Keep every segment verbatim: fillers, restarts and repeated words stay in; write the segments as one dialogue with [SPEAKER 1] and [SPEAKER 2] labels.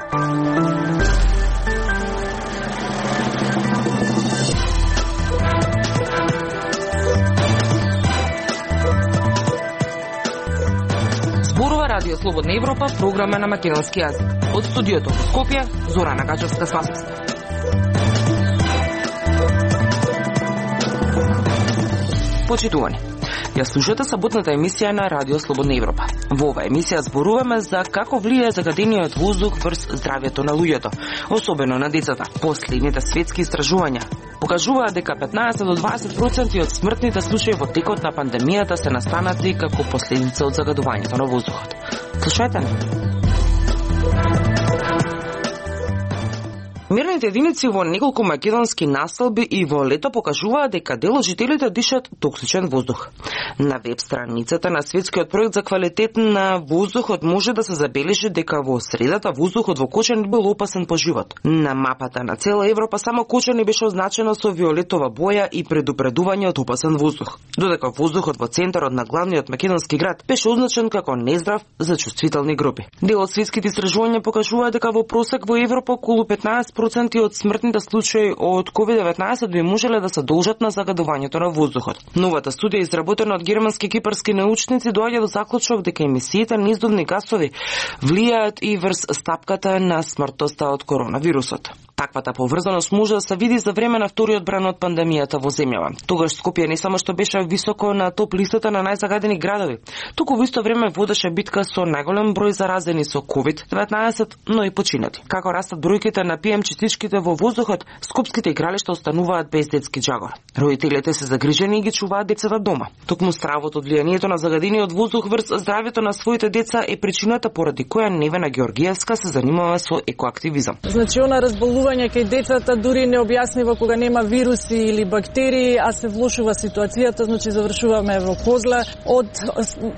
[SPEAKER 1] Радио Слободна Европа, програма на македонски јазик. Од студиото во Скопје, Зорана Гаџевска Славовска. Почитувани, ја слушате саботната емисија на Радио Слободна Европа. Во оваа емисија зборуваме за како влијае загадениот воздух врз здравјето на луѓето, особено на децата. Последните светски истражувања покажуваат дека петнаесет до дваесет проценти од смртните случаи во текот на пандемијата се настанати како последица од загадувањето на воздухот. Слушајте не. Мерните единици во неколку македонски населби и во лето покажуваат дека дел од жителите дишат токсичен воздух. На веб страницата на Светскиот проект за квалитет на воздухот може да се забележи дека во средата воздухот во Кочани бил опасен по живот. На мапата на цела Европа само Кочани беше означено со виолетова боја и предупредување од опасен воздух, додека воздухот во центарот на главниот македонски град беше означен како нездрав за чувствителни групи. Дел од светските истражувања покажува дека во просек во Европа околу петнаесет проценти од смртните случаи од ковид деветнаесет би можеле да се должат на загадувањето на воздухот. Новата студија, изработена од германски и кипарски научници, доаѓа до заклучок дека емисиите на издувни гасови влијаат и врз стапката на смртноста од коронавирусот. Таквата поврзаност може да се види за време на вториот бран од пандемијата во земјава. Тогаш Скопје не само што беше високо на топ листата на најзагадени градови, туку во исто време водеше битка со најголем број заразени со ковид деветнаесет, но и починати. Како растат бројките на пи ем частичките во воздухот, скопските игралишта остануваат без детски џагор. Родителите се загрижени и ги чуваат децата дома. Токму стравот од влијанието на загадениот воздух врз здравјето на своите деца е причината поради која Невена Георгиевска се занимава со екоактивизам.
[SPEAKER 2] Значи она разболување кај децата дури не објаснива кога нема вируси или бактерии, а се влошува ситуацијата, значи завршуваме во козла од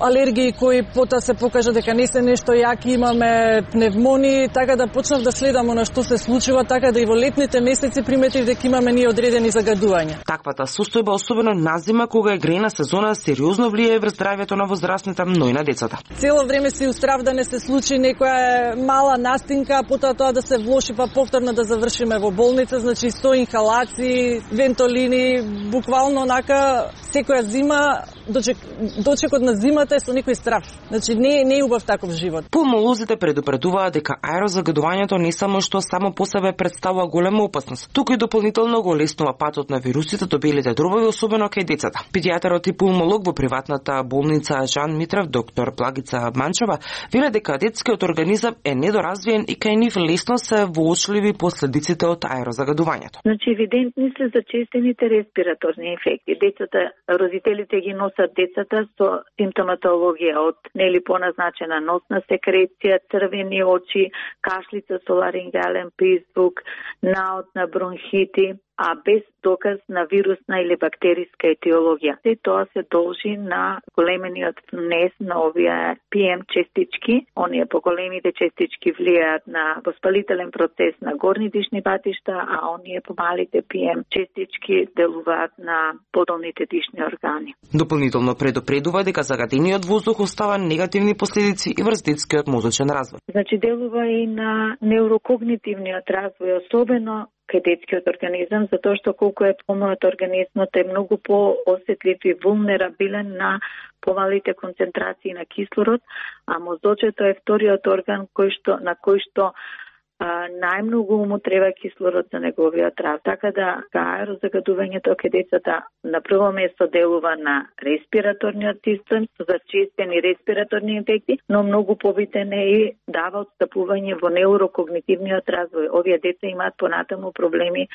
[SPEAKER 2] алергии кои потоа се покажа дека не се нешто јаки, имаме пневмонии, така да почнав да следам она што се случува, така да и во летните месеци приметив дека имаме ние одредени загадувања.
[SPEAKER 1] Таквата состојба, особено на зима кога е грејна сезона, сериозно влијае врз здравјето на возрастните, но и на децата.
[SPEAKER 2] Цело време си устрав да не се случи некоја мала настинка, а потоа тоа да се влоши, па повторно да завршиме во болница, значи сто инхалации, вентолини, буквално онака секоја зима, дочек, дочекот на зимата е со некој страв. Значи не, не е убав таков живот.
[SPEAKER 1] Пулмолозите предупредуваат дека аерозагадувањето не само што само по себе представува голема опасност, туку и дополнително го леснува патот на вирусите до белите дробови, особено кај децата. Педијатарот и пулмолог во приватната болница Жан Митрев, доктор Плагица Манчева, веле дека детскиот организам е недоразвиен и кај нив лесно се воочливи последиците од аерозагадувањето.
[SPEAKER 3] Значи евидентни се зачестените респираторни инфекти. Децата, родителите ги носат децата со симптоматологија од нели поназначена носна секреција, црвени очи, кашлица со ларингален призвук, наот на бронхити, а без доказ на вирусна или бактериска етиологија. Се тоа се должи на големениот внес на овие пи ем частички. Оние поголемите частички влијаат на воспалителен процес на горни дишни патишта, а оние помалите пи ем частички делуваат на подолните дишни органи.
[SPEAKER 1] Дополнително предупредува дека загадениот воздух остава негативни последици и врз детскиот мозочен развој.
[SPEAKER 3] Значи делува и на неурокогнитивниот развој, особено кај детскиот организам, затоа што колку е помалот организмот е многу поосетлив и вулнерабилен на помалите концентрации на кислород, а мозочето е вториот орган кој што на кој што а, најмногу му треба кислород за неговиот рад. Така да аерозагадувањето кај децата на прво место делува на респираторниот систем, со зачестени респираторни инфекти, но многу побитен е и дава отстапување во неурокогнитивниот развој. Овие деца имаат понатаму проблеми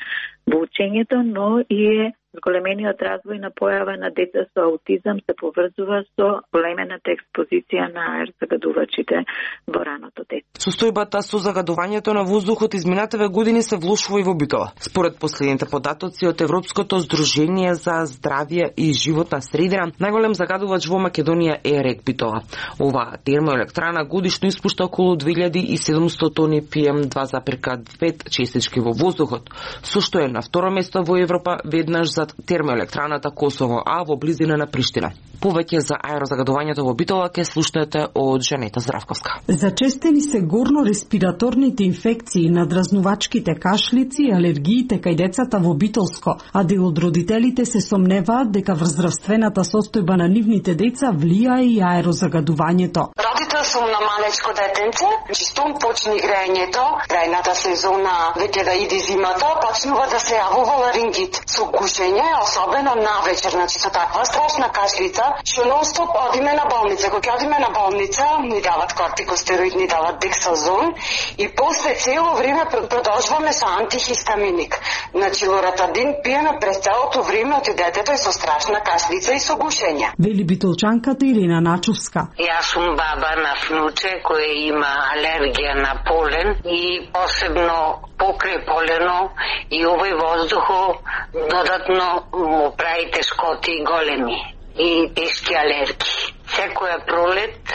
[SPEAKER 3] во учењето, но и е зголемениот развој на појава на деца со аутизам се поврзува со големената експозиција на аерозагадувачите во раното детство.
[SPEAKER 1] Состојбата со загадувањето на воздухот изминативе години се влошува и во Битола. Според последните податоци од Европското здружение за здравје и животна средина, најголем загадувач во Македонија е РЕК Битола. Оваа термоелектрана годишно испушта околу две илјади и седумстотини тони пи ем два зарез пет частички во воздухот, со што е на второ место во Европа, веднаш зад термоелектраната Косово, а во близина на Приштина. Повеќе за аерозагадувањето во Битола ке слушнете од Жанета Здравковска.
[SPEAKER 4] Зачестени се горно-респираторните инфекции, надразнувачките кашлици и алергиите кај децата во Битолско, а дел од родителите се сомневаат дека врз здравствената состојба на нивните деца влијае и аерозагадувањето.
[SPEAKER 5] Родител сум на малечко детенце, чистом почни грејењето, грајната сезона веќе да иде зимата, почнува да се јавува ларингит со гушење, особено навечер, значи со таква страшна кашлица, што нон-стоп одиме на болница. Кога одиме на болница, ни дават кортикостероид, ни дават дексазон и после цело време продолжуваме со антихистаминик. Значи лоратадин пиеме през целото време од детето и со страшна кашлица и со гушење.
[SPEAKER 4] Вели битолчанката Ирина Начовска.
[SPEAKER 6] Јас сум баба на внуче која има алергија на полен и посебно покрај полено и овој воздухо додатно му прави тешкоти големи и тешки алергии. Секоја пролет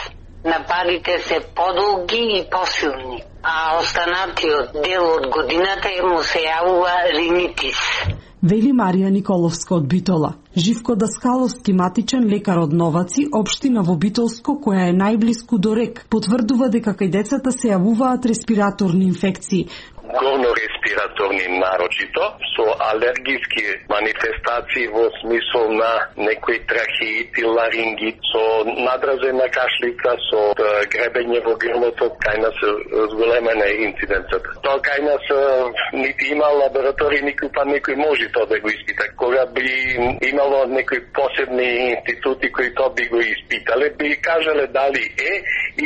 [SPEAKER 6] нападите се подолги и посилни, а останатиот дел од годината му се јавува ринитис.
[SPEAKER 4] Вели Марија Николовска од Битола. Живко Даскаловски, матичен лекар од Новаци, општина во Битолско, која е најблиску до рек, потврдува дека кај децата се јавуваат респираторни инфекции.
[SPEAKER 7] Горно-респираторни нарочито, со алергиски манифестации во смисол на некои трахеит и ларингит, со надразена кашлица, со гребење во грлото, кај нас зголемена е инциденцата. Тоа кај нас нити има лаборатории, никој па некој може тоа да го испита. Кога би имало некои посебни институти кои тоа би го испитале, би кажале дали е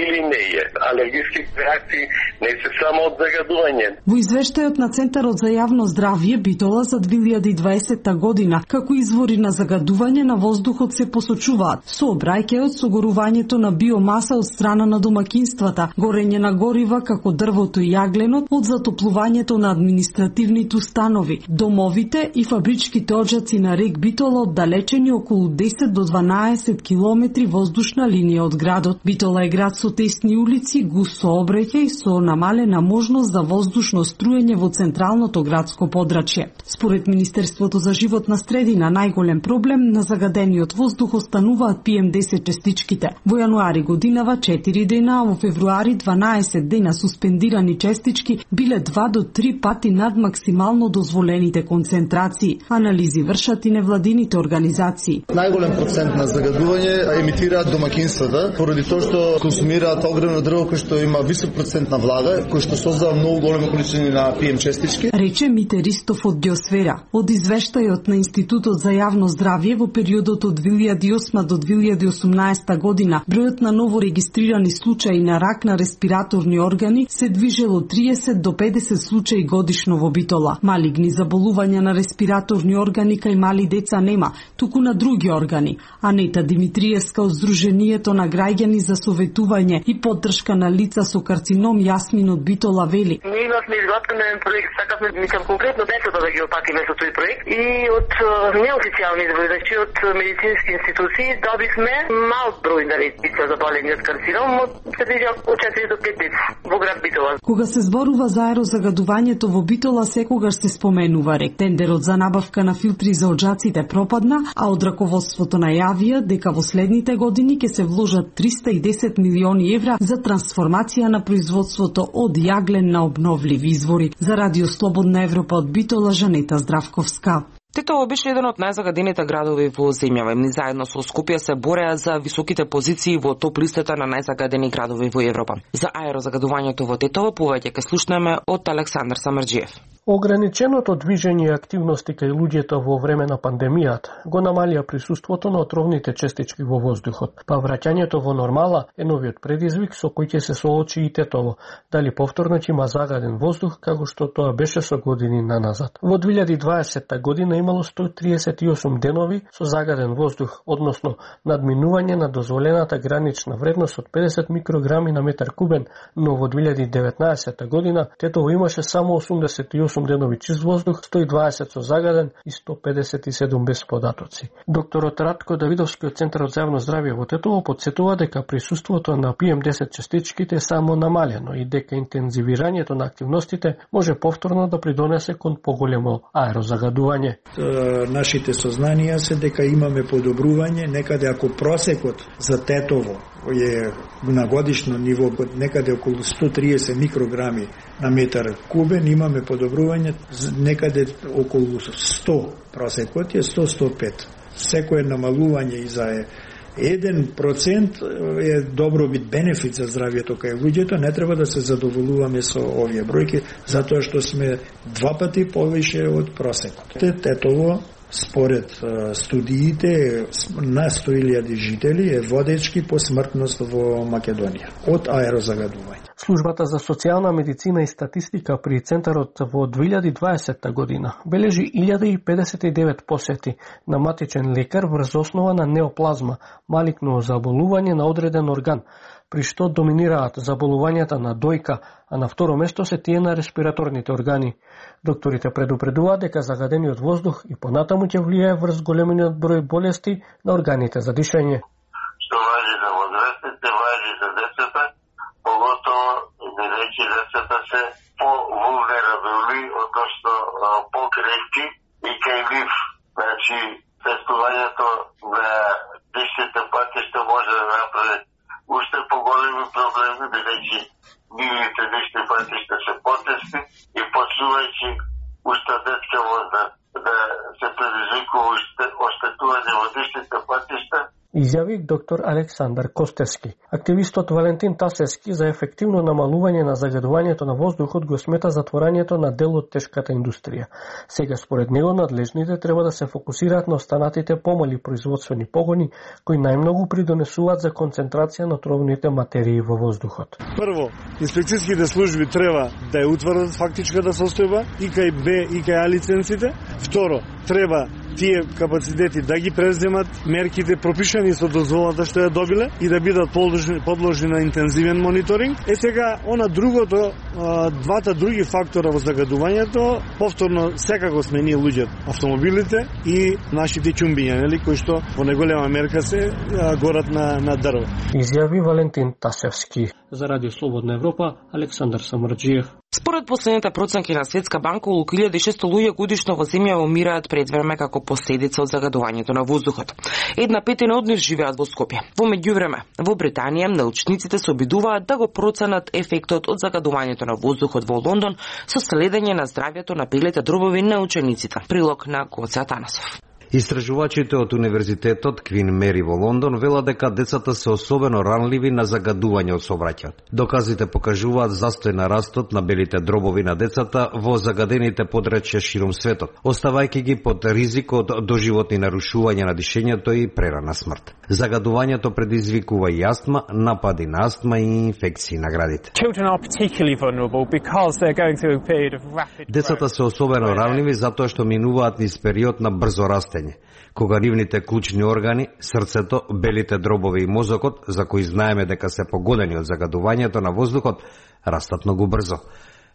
[SPEAKER 7] или не е. Алергиски реакции не се само од загадување.
[SPEAKER 4] Во извештајот на Центарот за јавно здравје Битола за две илјади и дваесетта година, како извори на загадување на воздухот се посочуваат сообраќајот со горувањето на биомаса од страна на домакинствата, горење на горива како дрвото и јагленот, од затоплувањето на административните установи, домовите и фабричките оджаци на рек Битола оддалечени околу десет до дванаесет километри воздушна линија од градот. Битола е град со тесни улици, густ сообраќај со намалена можност за воздушно струење во централното градско подрачје. Според Министерството за животна средина, најголем проблем на загадениот воздух остануваат пи ем десет честичките. Во јануари годинава четири дена, а во февруари дванаесет дена суспендирани честички биле два до три пати над максимално дозволените концентрации. Анализи вршат и невладините организации.
[SPEAKER 8] Најголем процент на загадување емитираат домакинствата, поради тоа што консумираат огромно дрво кој што има висок процент на влага, кој што создава многу големи количини на пи ем честички.
[SPEAKER 4] Рече Мите Ристов од Геосфера. Од извештајот на Институтот за јавно здравје во периодот од две илјади и осма до две илјади и осумнаесета година, бројот на ново регистрирани случаи на рак на респираторни органи се движел од триесет до педесет случаи годишно во Битола. Малигни заболувања на респираторни органи кај мали деца нема, туку на други органи. Анета Димитриевска од Сдруженијето на граѓани за советување и поддршка на лица со карцином Јасмин од Битола вели.
[SPEAKER 9] Ние имавме изготвен проект, сакавме мислам конкретно децата да ги опатиме со тој проект и од неофицијални извори, значи од медицински институции добивме мал број на деца заболени од карцином, од четири до пет деца во град Битола.
[SPEAKER 4] Кога се зборува за аерозагадувањето во Битола, секогаш се споменува рек. Тендерот за набавка на филтри за оджаците пропадна, а од раководството најавија дека во следните години ќе се вложат триста и десет милиони евра за трансформација на производството од јаглен на обновливи извори. За Радио Слободна Европа од Битола, Жанета Здравковска.
[SPEAKER 1] Тетово беше еден од најзагадените градови во земјава. Ни заедно со Скопје се бореа за високите позиции во топ листата на најзагадени градови во Европа. За аерозагадувањето во Тетово повеќе ќе слушнеме од Александар Самарџиев.
[SPEAKER 10] Ограниченото движење и активности кај луѓето во време на пандемијата го намалија присуството на отровните честички во воздухот, па враќањето во нормала е новиот предизвик со кој ќе се соочи и Тетово, дали повторно ќе има загаден воздух како што тоа беше со години наназад. Во две илјади и дваесетта година имало сто триесет и осум денови со загаден воздух, односно надминување на дозволената гранична вредност од педесет микрограми на метар кубен, но во две илјади и деветнаесетта година Тетово имаше само осумдесет и осум осум денови чист воздух, сто и дваесет со загаден и сто педесет и седум без податоци. Докторот Ратко Давидовски од Центарот за јавно здравје во Тетово потсетува дека присуството на пи ем десет частичките е само намалено и дека интензивирањето на активностите може повторно да придонесе кон поголемо аерозагадување.
[SPEAKER 11] Нашите сознанија се дека имаме подобрување, некаде ако просекот за Тетово е на годишно ниво некаде околу сто триесет микрограми на метар кубен, имаме подобрување некаде околу сто, просекот е сто до сто и пет. Секое намалување и за еден процент е добробит, бенефит за здравјето кај луѓето, не треба да се задоволуваме со овие бројки, затоа што сме два пати повише од просекот. Тетово, според студиите, на сто илјади жители е водечки по смртност во Македонија од аерозагадување.
[SPEAKER 10] Службата за социјална медицина и статистика при Центарот во две илјади и дваесетта година бележи илјада и педесет и девет посети на матичен лекар врз основа на неоплазма, малигно заболување на одреден орган, при што доминираат заболувањата на дојка, а на второ место се тие на респираторните органи. Докторите предупредуваат дека загадениот воздух и понатаму ќе влијае врз големиот број болести на органите за дишење.
[SPEAKER 12] Што важи за возрастните, важи за децата, поготово да речи децата се по-вулнерабилни, односно по-крехки и кај нив. Значи, тестувањето на дишните патишта може да направи уште поголеми проблеми, бидејќи нивните дишни патишта се потесни и почнувајќи уште детска возраст да се предизвикува оштетување во дишните патишта.
[SPEAKER 10] Изјави доктор Александар Костевски. Активистот Валентин Тасевски за ефективно намалување на загадувањето на воздухот го смета затворањето на дел од тешката индустрија. Сега според него надлежните треба да се фокусираат на останатите помали производствени погони кои најмногу придонесуваат за концентрација на отровните материи во воздухот.
[SPEAKER 13] Прво, инспекцијските служби треба да ја утврдат фактичката состојба и кај Б и кај А лиценците. Второ, треба тие капацитети да ги преземат мерките пропишани со дозволата што ја добиле и да бидат подложени, подложени на интензивен мониторинг. Е сега, она другото, двата други фактора во загадувањето, повторно секако сме ние луѓето, автомобилите и нашите ќумбиња, нели, кои што во неголема мерка се горат на, на дрво.
[SPEAKER 10] Изјави Валентин Тасевски. За Радио Слободна Европа, Александар Самарџиев.
[SPEAKER 1] Според последните проценки на Светска банка, околу илјада и шесто луѓе годишно во земја умираат пред време како последица од загадувањето на воздухот. Една петина од нив живеат во Скопје. Во меѓувреме, во Британија научниците се обидуваат да го проценат ефектот од загадувањето на воздухот во Лондон со следење на здравјето на белите дробови на учениците. Прилог на Гоце Атанасов.
[SPEAKER 14] Истражувачите од Универзитетот Квин Мери во Лондон велат дека децата се особено ранливи на загадување од сообраќајот. Доказите покажуваат застој на растот на белите дробови на децата во загадените подрачја широм светот, оставајќи ги под ризик од доживотни нарушувања на дишењето и прерана смрт. Загадувањето предизвикува и астма, напади на астма и инфекции на градите. Децата се особено ранливи затоа што минуваат низ период на брзо растење, кога нивните клучни органи, срцето, белите дробови и мозокот, за кои знаеме дека се погодени од загадувањето на воздухот, растат многу брзо,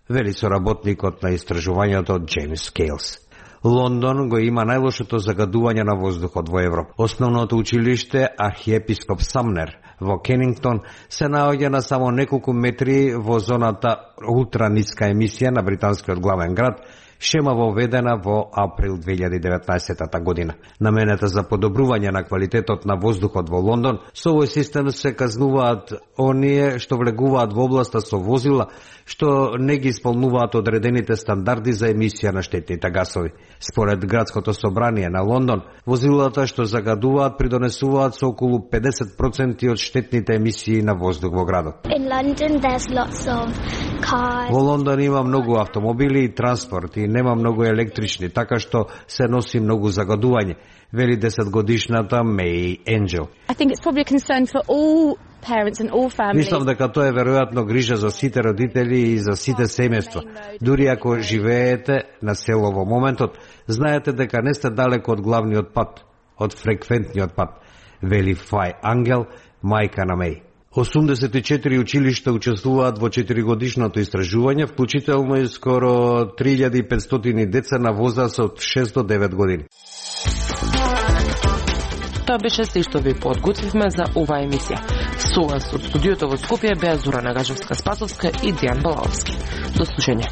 [SPEAKER 14] вели соработникот на истражувањето Джеймс Кейлс. Лондон го има најлошото загадување на воздухот во Европа. Основното училиште Архиепископ Самнер во Кенингтон се наоѓа на само неколку метри во зоната ултраниска емисија на британскиот главен град, шема воведена во април две илјади и деветнаесетта година. Намената за подобрување на квалитетот на воздухот во Лондон, со овој систем се казнуваат оние што влегуваат во областа со возила што не ги исполнуваат одредените стандарди за емисија на штетните гасови. Според градското собрание на Лондон, возилата што загадуваат придонесуваат со околу педесет проценти од штетните емисии на воздух во градот. Во Лондон има многу автомобили и транспорт и нема многу електрични, така што се носи многу загадување, вели десетгодишната Меј Енџел. Мислам дека тоа е веројатно грижа за сите родители и за сите семејства. Дури ако живеете на село во моментот, знаете дека не сте далеко од главниот пат, од фреквентниот пат, вели Фај Ангел, мајка на Меј. осумдесет и четири училишта учествуваат во четиригодишното истражување, вклучително и скоро три илјади и петстотини деца на возраст од шест до девет години.
[SPEAKER 1] Тоа беше се што ви подготвивме за оваа емисија. Со вас од студиото во Скопје беа Зора Нагажевска-Спасовска и Дијан Балаовски. До слушање.